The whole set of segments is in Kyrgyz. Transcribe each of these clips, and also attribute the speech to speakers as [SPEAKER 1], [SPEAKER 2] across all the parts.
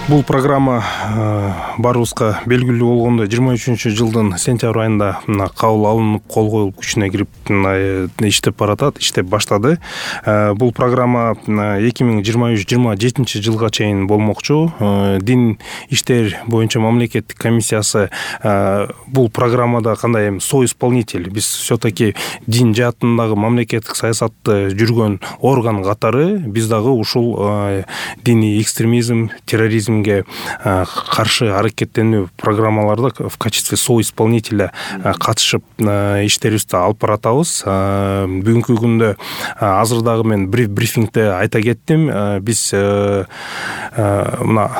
[SPEAKER 1] Бул программа баарыбызга белгилүү болгондой 23-жылдын сентябрь айында кабыл алынып, кол коюлуп күчүнө кирип иштеп баратат, иштеп баштады. Бул программа 2023-2027 жылга чейин болмокчу. Дин иштер боюнча мамлекеттик комиссиясы бул программада кандай соисполнитель, биз все-таки дин жаатындагы мамлекеттик саясатты жүргөн орган катары биз дагы ушул диний экстремизм, терроризм каршы аракеттенүү программаларда в качестве соисполнителя катышып иштерибизди алып баратабыз. Бүгүнкү күндө азыр дагы мен брифингде айта кеттим. Биз мына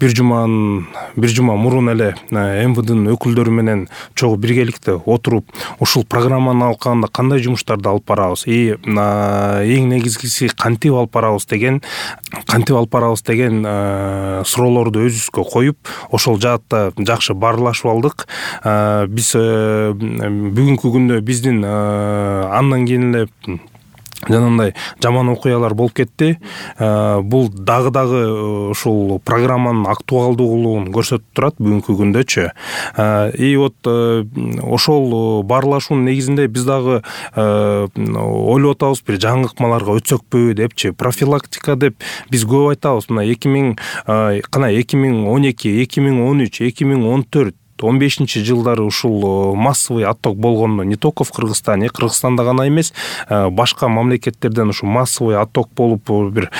[SPEAKER 1] бир жума мурун эле МВДнын өкүлдөрү менен чогуу биргеликте отуруп ушул программаны алканда кандай жумуштарды алып барабыз, эң негизгиси кантип алып барабыз деген суроолорду өзүбүзгө коюп, ошол жаатта жакшы баарлашып алдык. Биз бүгүнкү күндө биздин андан кийин эле жанагындай жаман окуялар болуп кетти. Бул дагы ушул программанын актуалдуулугун көрсөтүп турат бүгүнкү күндөчү. И вот ошол баарлашуунун негизинде биз дагы ойлоп атабыз, бир жаңы ыкмаларга өтсөкпү депчи. Профилактика деп биз көп айтабыз. Мына 2012, 2013, 2014 15 жылдары ушул массовый отток болгондо не только в Кыргызстане, Кыргызстанда гана эмес, башка мамлекеттерден ушул массовый отток болуп, бир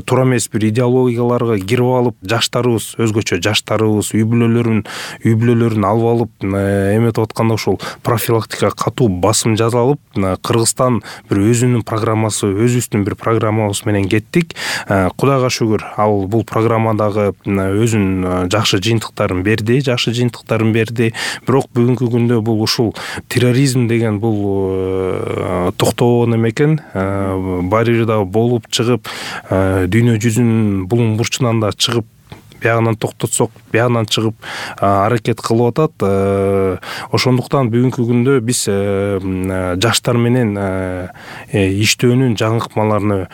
[SPEAKER 1] туура эмес бир идеологияларга кирип алып, жаштарыбыз, өзгөчө жаштарыбыз үй бүлөлөрүн алып алып, эметип атканда ушул профилактика катуу басым жасалып, Кыргызстан бир өзүнүн программасы, өзүбүздүн бир программабыз менен кеттик. Кудайга шүгүр, ал бул программадагы өзүнүн жакшы жыйынтыктарын берди. Бирок бүгүнкү күндө бул ушул терроризм деген бул токтобогон экен. Баары бир дагы болуп чыгып, дүйнө жүзүнүн булуң бурчунан да чыгып, биягынан токтотсок, биягынан чыгып аракет кылып атат. Ошондуктан бүгүнкү күндө биз жаштар менен иштөөнүн жаңы ыкмаларына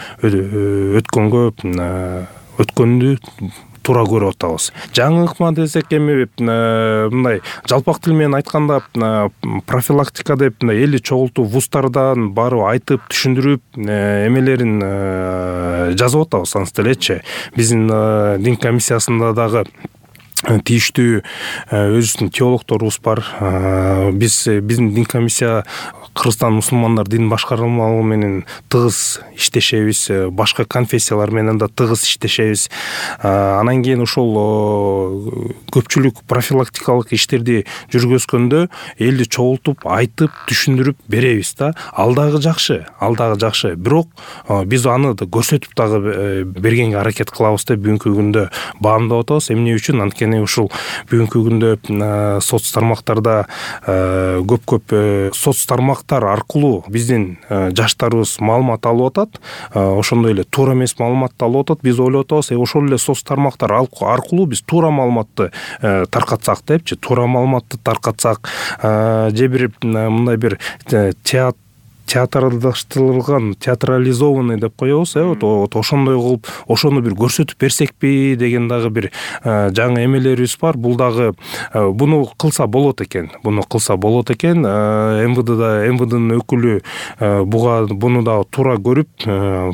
[SPEAKER 1] өткөндү туура көрүп атабыз. Жаңы ыкма десек эми мындай жалпак тил менен айтканда профилактика деп элди чогултуп, вуздардан барып айтып, түшүндүрүп эмелерин жазып атабыз ансы делечи. Биздин дин комиссиясында дагы тийиштүү өзүбүздүн теологдорубуз бар. Биздин дин комиссия Кыргызстан мусулмандар дин башкармалыгы менен тыгыз иштешебиз, башка конфессиялар менен да тыгыз иштешебиз. Анан кийин ошол көпчүлүк профилактикалык иштерди жүргүзгөндө элди чогултуп, айтып, түшүндүрүп беребиз да. Ал дагы жакшы. Бирок биз аны да көрсөтүп дагы бергенге аракет кылабыз деп бүгүнкү күндө баамдап атабыз. Эмне үчүн? Анткени ушул бүгүнкү күндө соц тармактарда көп соц тармактар аркылуу биздин жаштарыбыз маалымат алып атат. Ошондой эле туура эмес маалыматты алып атат. Биз ойлоп атабыз, ошол эле соц тармактар аркылуу биз туура маалыматты таркатсак депчи, же бир мындай бир театрализованный деп коебуз, вот ошондой кылып, ошону бир көрсөтүп берсекпи деген дагы бир жаңы эмелерибиз бар. Бул дагы буну кылса болот экен. МВДнын өкүлү буну дагы туура көрүп,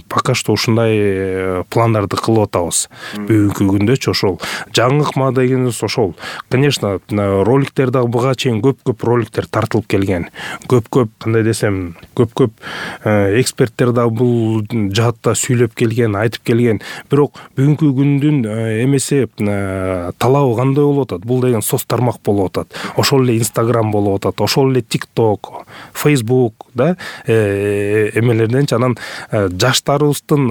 [SPEAKER 1] пока что ушундай пландарды кылып атабыз. Бүгүнкү күндөчү ошол жаңы ыкма дегенибиз ошол. Конечно, роликтер дагы буга чейин көп роликтер тартылып келген. Кандай десем, көп эксперттер да бул жаатта сүйлөп келген, айтып келген. Бирок бүгүнкү күндүн эмеси талабы кандай болуп атат? Бул деген соц тармак болуп атат. Ошол эле Instagram болуп атат, ошол эле TikTok, Facebook да эмелерденчи. Анан жаштарыбыздын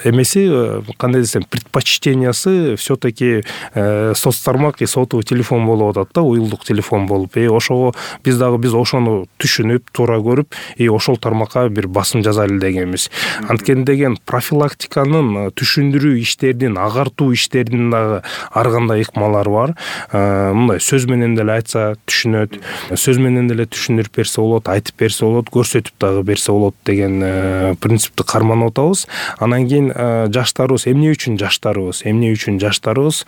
[SPEAKER 1] эмеси, кандай десем, предпочтениясы все-таки соц тармак и сотовый телефон болуп атат да, уюлдук телефон болуп. Ошого биз ошону түшүнүп түшүнүп туура көрүп ошол тармакка бир басым жазайлы дегенбиз. Анткени деген профилактиканын түшүндүрүү иштеринин агартуу иштеринин дагы ар кандай ыкмалары бар. Мындай сөз менен деле айтса түшүнөт, сөз менен деле түшүндүрүп берсе болот, айтып берсе болот, көрсөтүп дагы берсе болот деген принципти карманып атабыз. Анан кийин жаштарыбыз эмне үчүн жаштарыбыз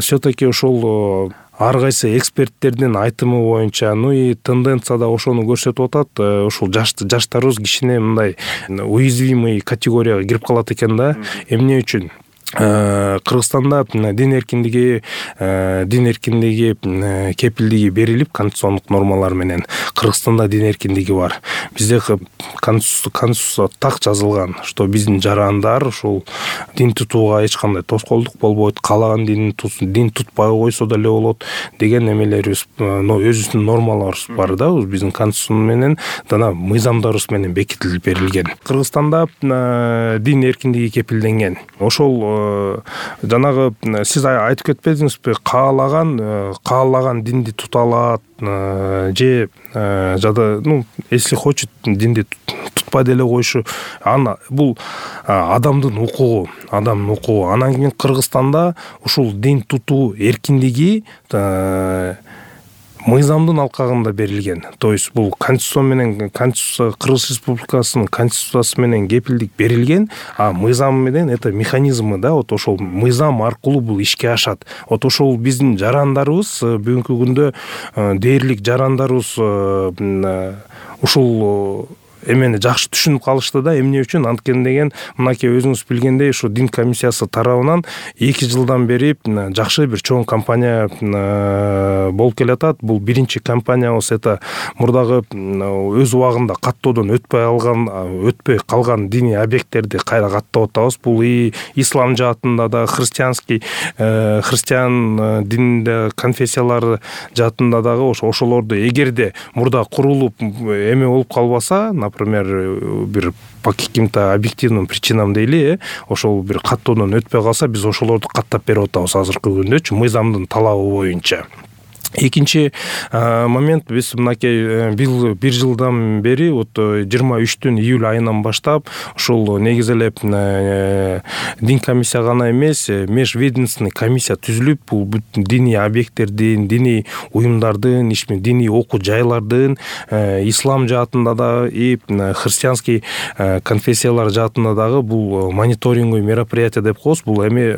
[SPEAKER 1] все-таки ошол ар кайсы эксперттердин айтымы боюнча, и тенденция да ошону көрсөтүп атат. Ушул жаштарыбыз кичине мындай уязвимый категорияга кирип калат экен да. Эмне үчүн? Кыргызстанда дин эркиндиги кепилдиги берилип конституциондук нормалар менен. Кыргызстанда дин эркиндиги бар. Бизде конституция так жазылган, что биздин жарандар ушул дин тутууга эч кандай тоскоолдук болбойт, каалаган дин тутпай койсо деле болот деген эмелерибиз, өзүбүздүн нормаларыбыз бар да, биздин конституция менен жана мыйзамдарыбыз менен бекитилип берилген. Кыргызстанда дин эркиндиги кепилденген. Ошол жанагы сиз айтып кетпедиңизби, каалаган динди тута алат же жада, если хочет динди тутпай деле коюшу, бул адамдын укугу. Анан кийин Кыргызстанда ушул дин тутуу эркиндиги мыйзамдын алкагында берилген. То есть бул конституция Кыргыз Республикасынын конституциясы менен кепилдик берилген, а мыйзам менен это механизмы да, ошол мыйзам аркылуу бул ишке ашат. Ошол биздин жарандарыбыз бүгүнкү күндө дээрлик жарандарыбыз ушул эмени жакшы түшүнүп калышты да. Эмне үчүн? Анткени деген мынакей өзүңүз билгендей, ушу дин комиссиясы тарабынан 2 жылдан бери жакшы бир чоң кампания болуп келатат. Бул биринчи кампаниябыз, это мурдагы өз убагында каттоодон өтпөй калган диний объекттерди кайра каттап атабыз. Бул ислам жаатында да, христиан дининде конфессиялары жаатында дагы ошолорду эгерде мурда курулуп эме болуп калбаса, например, бир по каким-то объективным причинам дейли, ошол бир каттоодон өтпөй калса, биз ошолорду каттап берип атабыз азыркы күндөчү мыйзамдын талабы боюнча. Экинчи момент, биз мынакей бир жылдан бери 23 июль айынан баштап ушул негизи эле дин комиссия гана эмес, межведомственный комиссия түзүлүп, бул диний объекттердин, диний уюмдардын, диний окуу жайлардын, ислам жаатында да христианский конфессиялар жаатында дагы бул мониторинговый мероприятие деп коебуз. Бул эми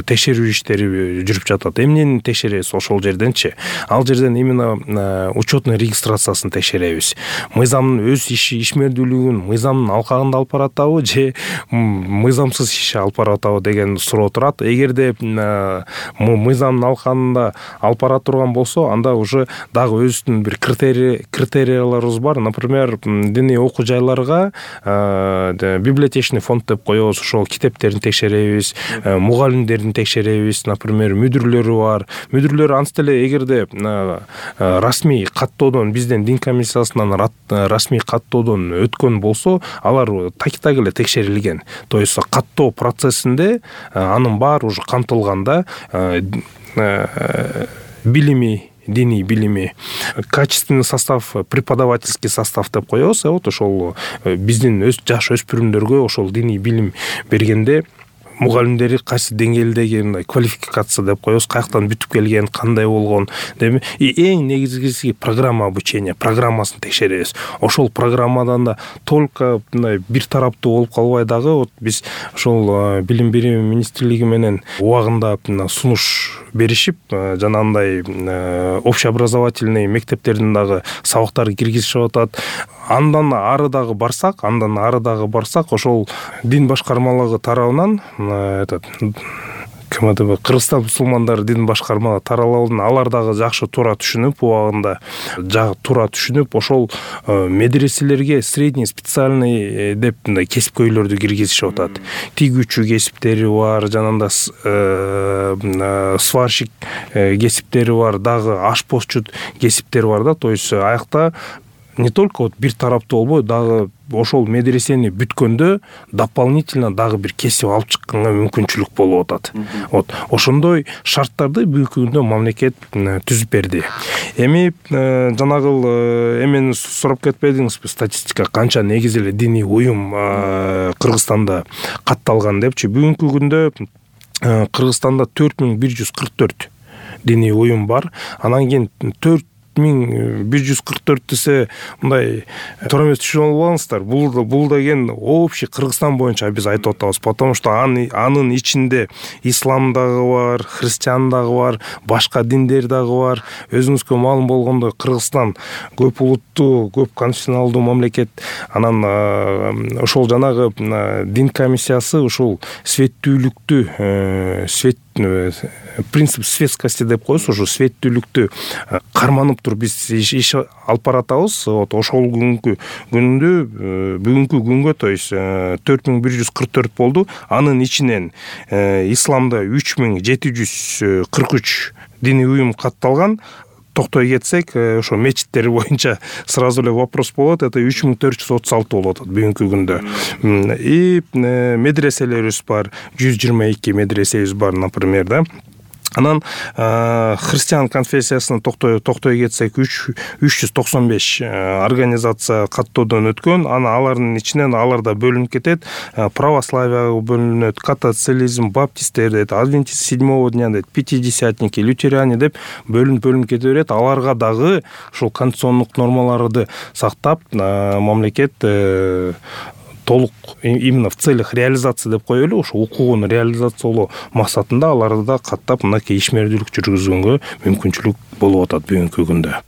[SPEAKER 1] текшерүү иштери жүрүп жатат. Эмнени текшеребиз ошол жерденчи? Ал жерден именно учетный регистрациясын текшеребиз. Мыйзамдын өз ишмердүүлүгүн мыйзамдын алкагында алып баратабы же мыйзамсыз иш алып баратабы деген суроо турат. Эгерде мыйзамдын алкагында алып бара турган болсо, анда уже дагы өзүнүн бир критерияларыбыз бар. Например, диний окуу жайларга библиотечный фонд деп коебуз, ошол китептерин текшеребиз, мугалимдерин текшеребиз, например, мүдүрлөрү бар. Мүдүрлөр анс деле эгерде расмий каттоодон, бизден дин комиссиясынан расмий каттоодон өткөн болсо, алар так эле текшерилген. То есть каттоо процессинде анын баары уже камтылган да, билими, диний билими, качественный состав, преподавательский состав деп коебуз. Ошол биздин жаш өспүрүмдөргө ошол диний билим бергенде мугалимдери кайсы деңгээлдеги мындай квалификация деп коебуз, каяктан бүтүп келген, кандай болгон деп, эң негизгиси программа обучения, программасын текшеребиз. Ошол программадан да только мындай бир тараптуу болуп калбай дагы, биз ошол билим берүү министрлиги менен убагында сунуш беришип, жанагындай общеобразовательный мектептердин дагы сабактары киргизишип атат. Андан ары дагы барсак, ошол дин башкармалыгы тарабынан Кыргызстан мусулмандар дин башкармалыгы тарабынан алар дагы жакшы туура түшүнүп, убагында туура түшүнүп, ошол медреселерге средний специальный деп кесипкөйлөрдү киргизишип атат. Тигүүчү кесиптери бар, жанагында сварщик кесиптери бар, дагы ашпозчу кесиптери бар да. То есть аякта не только вот бир тараптуу болбой, дагы ошол медресени бүткөндө дополнительно дагы бир кесип алып чыкканга мүмкүнчүлүк болуп атат. Вот ошондой шарттарды бүгүнкү күндө мамлекет түзүп берди. Эми жанагыл эмени сурап кетпедиңизби, статистика канча негизи эле диний уюм Кыргызстанда катталган депчи. Бүгүнкү күндө Кыргызстанда 4144 диний уюм бар. Анан кийин 4144 десе мындай туура эмес түшүнүп албаңыздар. Бул деген общий Кыргызстан боюнча биз айтып атабыз, потому что анын ичинде ислам дагы бар, христиан дагы бар, башка диндер дагы бар. Өзүңүзгө маалым болгондой, Кыргызстан көп улуттуу, көп конфессионалдуу мамлекет. Анан ошол жанагы дин комиссиясы ушул светтүүлүктү, принцип светскости деп коебуз, ошо светтүүлүктү карманып туруп биз иш алып баратабыз. Вот ошол бүгүнкү күнгө, то есть 4144 болду. Анын ичинен исламда 3743 диний уюм катталган. Токтой кетсек, ошо мечиттер боюнча сразу эле вопрос болот. Это 3436 болот бүгүнкү күндө. И медреселерибиз бар, 122 медресебиз бар, например, да. Анан христиан конфессиясына токтой кетсек, 395 организация каттоодон өткөн. Ана алардын ичинен аларда бөлүнүп кетет. Православие бөлүнөт, католицизм, баптисттер дейт, адвентист седьмого дня дейт, пятидесятники, лютеране деп бөлүнүп кете берет. Аларга дагы ушул конституциондук нормаларды сактап, мамлекет толук именно в целях реализации деп коелу, ошо укугун реализациялоо максатында аларды да каттап мынакей ишмердүүлүк жүргүзгөнгө мүмкүнчүлүк болуп атат бүгүнкү күндө.